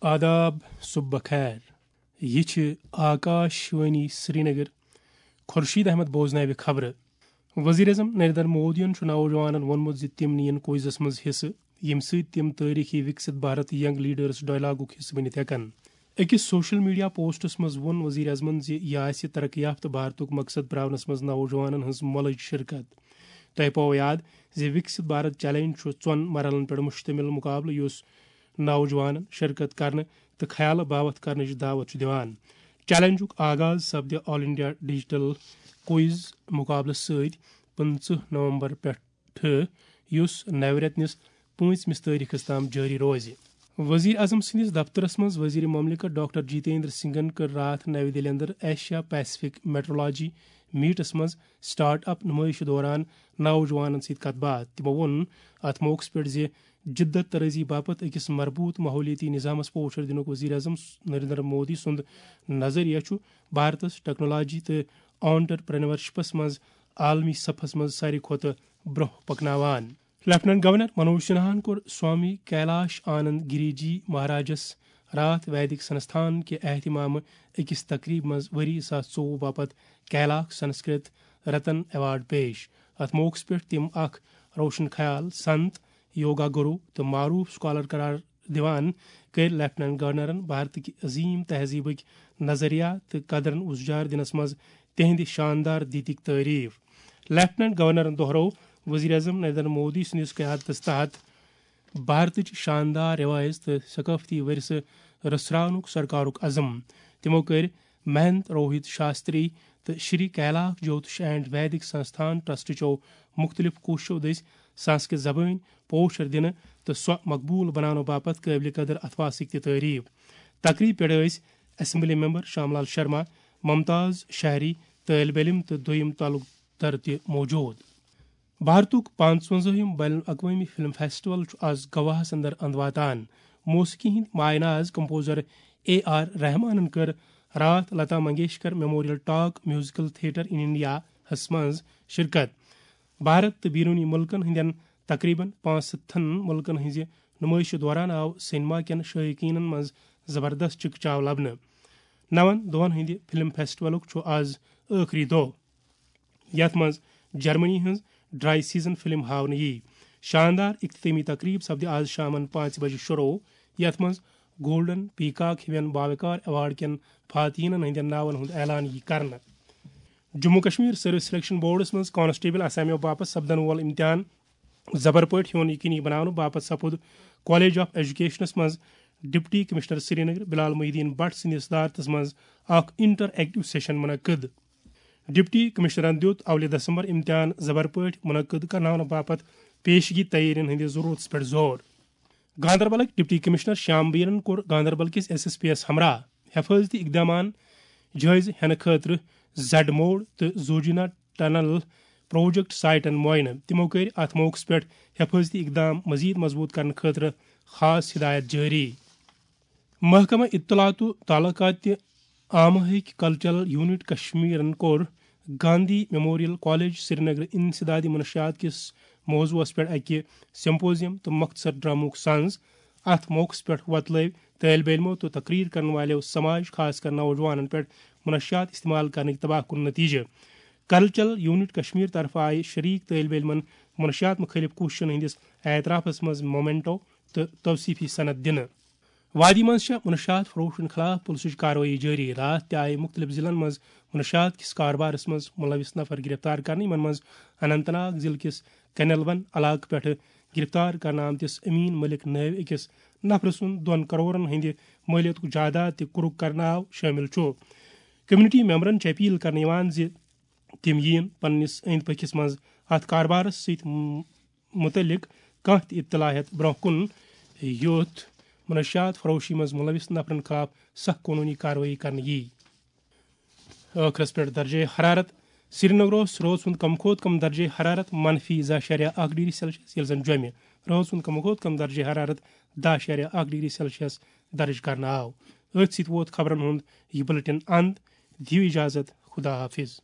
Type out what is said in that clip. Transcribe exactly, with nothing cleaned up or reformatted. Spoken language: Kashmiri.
آداب، صبح بخیر۔ یہِ چھِ آکاش وانی سرینگر۔ خورشید احمد بوزناوِ خبرٕ۔ وزیر اعظم نریندر مودیَن چھُ نوجوانَن ووٚنمُت زِ تِم نِیَن کوئزَس منٛز حصہٕ، ییٚمہِ سۭتۍ تِم تٲریخی وکست بھارت ینگ لیڈرز ڈائیلاگُک حصہٕ بٔنِتھ ہٮ۪کَن۔ أکِس سوشل میڈیا پوسٹَس منٛز ووٚن وزیر اعظمَن زِ یہِ آسہِ ترقی یافتہٕ بھارتُک مقصد پراونَس منٛز نوجوانَن ہٕنٛز مۄلٕج شرکت۔ تۄہہِ پاوو یاد زِ وکست بھارت چیلنج چھُ ژۄن مرحلن پٮ۪ٹھ مشتمل مقابلہٕ، یُس نوجوانن شرکت کرنہٕ تہٕ خیالہٕ باوتھ کرنٕچ دعوت چھُ دِوان۔ چیلنجُک آغاز سپدِ آل انڈیا ڈیجیٹل کوئز مقابلہٕ سۭتۍ پٕنٛژٕہ نومبر پٮ۪ٹھٕ، یُس نوِ رٮ۪تہٕ نِس پٲنٛژمِس تٲریخس تام جٲری روزِ۔ وزیر اعظم سٕنٛدِس دفترس منٛز وزیر مملکت ڈاکٹر جتیندر سنگھن کٔر راتھ نَوِ دِلہِ اندر ایشیا پیسفک میٹرولوجی میٹس منٛز سٹارٹ اپ نمٲیشہِ دوران نوجوانن سۭتۍ کتھ باتھ۔ تِمو ووٚن اتھ موقعس پٮ۪ٹھ زِ جدت طرازی باپتھ أکِس مربوط ماحولیٲتی نظامس پوچھر دِنُک وزیر اعظم نریندر مودی سُنٛد نظریہ چھُ بھارتس ٹیکنالوجی تہٕ آنٹرپرینورشپس منٛز عالمی صفس منٛز ساروی کھۄتہٕ برٛونٛہہ پکناوان۔ لیفٹیننٹ گورنر منوج سنہاہن کوٚر سوامی کیلاش آنند گری جی مہاراجس راتھ ویدک سنستھان کہِ اہتمامہٕ أکِس تقریبہِ منٛز ؤری زٕ ساس ژوٚوُہ باپتھ کیلاک سنسکرت رتن ایوارڈ پیش۔ اتھ موقعس پٮ۪ٹھ تِم اکھ روشن خیال سنت، یوگا گرو تہٕ معروف سکالر قرار دِوان کٔرۍ لیفٹیننٹ گورنرن بھارتٕکۍ عظیم تہذیبٕکۍ نظریات تہٕ قدرن اُجار دِنس منٛز تِہنٛدِ شاندار دیٖدٕکۍ تعریف۔ لیفٹیننٹ گورنرن دوہرٲو وزیر اعظم نریندر مودی سٕنٛدِس قیادتس تحت بھارتٕچ شاندار روایژ تہٕ ثقافتی ورثہٕ رژھراونُک سرکارُک عزم۔ تِمو کٔرۍ مہنت روہت شاستری تہٕ شری کیلاک جوتش اینڈ ویدک سنستھان ٹرسٹ چو مختلف کوششو دٔسۍ سنسکرت زبٲنۍ پوچھر دِنہٕ تہٕ سۄ مقبول بناونہٕ باپتھ قٲبلِ قدر اتھواسٕکۍ تہِ تعریف۔ تقریب پٮ۪ٹھ ٲسۍ اسمبلی ممبر شام لال شرما، ممتاز شہری، طٲلب علم تہٕ دوٚیِم تعلق در تہِ موجود۔ بھارتُک پانٛژوَنزٲہِم بین الاقوٲمی فلم فیسٹیول چھُ آز گواہس اندر اند واتان۔ موسیقی ہٕنٛدۍ مایہ ناز کمپوزر اے آر رحمانن کٔر راتھ Lata Mangeshkar memorial talk musical theatre in India ہس منٛز شرکت۔ بھارت تہٕ بیرونی ملکن ہٕنٛدٮ۪ن تقریباً پانٛژھ ہتن ملکن ہٕنٛزِ نمٲیشہِ دوران آو سینما کٮ۪ن شائقینن منٛز زبردست چکچاو لبنہٕ۔ نون دۄہن ہٕنٛدِ فلم فیسٹیولُک چھُ آز ٲخری دۄہ، یتھ منٛز جرمنی ہٕنٛز ڈرائی سیزن فلم ہاونہٕ ییہِ۔ شاندار اختتٲمی تقریب سپدِ آز شامن پانٛژِ بجہِ شروع، یتھ منٛز گولڈن پیکاک ہِوٮ۪ن باوقار ایوارڈ کٮ۪ن فاتحینن ہٕنٛدٮ۪ن ناون ہُنٛد اعلان ییہِ کرنہٕ۔ Jammu Kashmir service selection boards منٛز کانسٹیبل اسامیو باپتھ سپدن وول امتحان زبر پٲٹھۍ ہیوٚن یقینی بناونہٕ باپتھ سپُد کالج آف ایجوکیشنس منٛز ڈپٹی کمشنر سرینگر بلال محی الدین بٹ سٕنٛدِس صدارتس منٛز اکھ انٹر ایکٹیو سیشن منعقد۔ ڈپٹی کمشنرن دیُت اولہِ دسمبر امتحان زبر پٲٹھۍ منعقد کرناونہٕ باپتھ پیشگی تیٲرین ہٕنٛدِس ضروٗرتس پٮ۪ٹھ زور۔ گاندربلٕکۍ ڈپٹی کمشنر شام بیرن کوٚر گاندربل کِس ایس ایس پی یس ہمراہ حفاظتی اقدامان جٲیزٕ ہٮ۪نہٕ خٲطرٕ زڈ موڑ تہٕ زوجینا ٹنل پروجیکٹ سائٹن معائنہٕ۔ تِمو کٔرۍ اتھ موقعس پٮ۪ٹھ حفاظتی اقدام مزید مضبوط کرنہٕ خٲطرٕ خاص ہدایت جٲری۔ محکمہ اطلاعات و تعلقات تہٕ آمہٕ ہٕکۍ کلچرل یونٹ کشمیرن کوٚر گاندھی میموریل کالج سرینگر انسدادی منشیات کِس موضوعس پٮ۪ٹھ اکہِ سمپوزیم تہٕ مختصر ڈرامہُک سنز۔ اتھ موقعس پٮ۪ٹھ وۄتلٲوۍ طٲلب علمو تہٕ تقریر کرن والٮ۪و سماج، خاص کر نوجوانن پٮ۪ٹھ منشیات استعمال کرنٕکۍ تباہ کُن نتیجہٕ۔ کلچرل یونٹ کشمیر طرفہٕ آیہِ شریک طٲلب علمن منشیات مخٲلف کوٗششن ہٕنٛدِس اعترافس منٛز مومنٹو تہٕ توصیفی سند دِنہٕ۔ وادی منٛز چھےٚ منشیات فروشن خلاف پُلسٕچ کاروٲیی جٲری۔ راتھ تہِ آیہِ مُختٔلِف ضلعن منٛز منشیات کِس کاربارس منٛز مُلوِث نفر گرفتار کرنہٕ، یِمن منٛز اننت ناگ ضلعہٕ کِس کنیلون علاقہٕ پٮ۪ٹھٕ گرفتار کرنہٕ آمتِس امین ملک نٲوۍ أکِس نفرٕ سُنٛد دۄن کرورن ہٕنٛدِ مٲلیتُک جائیداد تہِ کُرُک کرنہٕ آو شٲمِل چھُ۔ کمیونٹی ممبرن چھِ اپیل کرنہٕ یِوان زِ تِم یِیِن پننِس أنٛدۍ پٔکِس منٛز اتھ کاربارس سۭتۍ م-، مُتعلق کانٛہہ تہِ اطلاع ہٮ۪تھ برٛونٛہہ کُن، یُتھ منشیات فروشی منٛز مُلوِث نفرن خلاف سخت قونوٗنی کاروٲیی کرنہٕ یِیہِ۔ ٲخرس پٮ۪ٹھ درجہ حرارت۔ سرینگرس روز ہُنٛد کم کھۄتہٕ کم درجہ حرارت منفی زٕ اعشاریہ اکھ ڈگری سیلسیس، ییٚلہِ زن جوٚمہِ روز ہُنٛد کم کھۄتہٕ کم درجہ حرارت دَہ اعشاریہ اکھ ڈگری سیلسیس درج کرنہٕ آو۔ أتھۍ سۭتۍ ووت خبرن ہُنٛد یہِ بُلٹن اند۔ دِیِو اجازت، خدا حافظ۔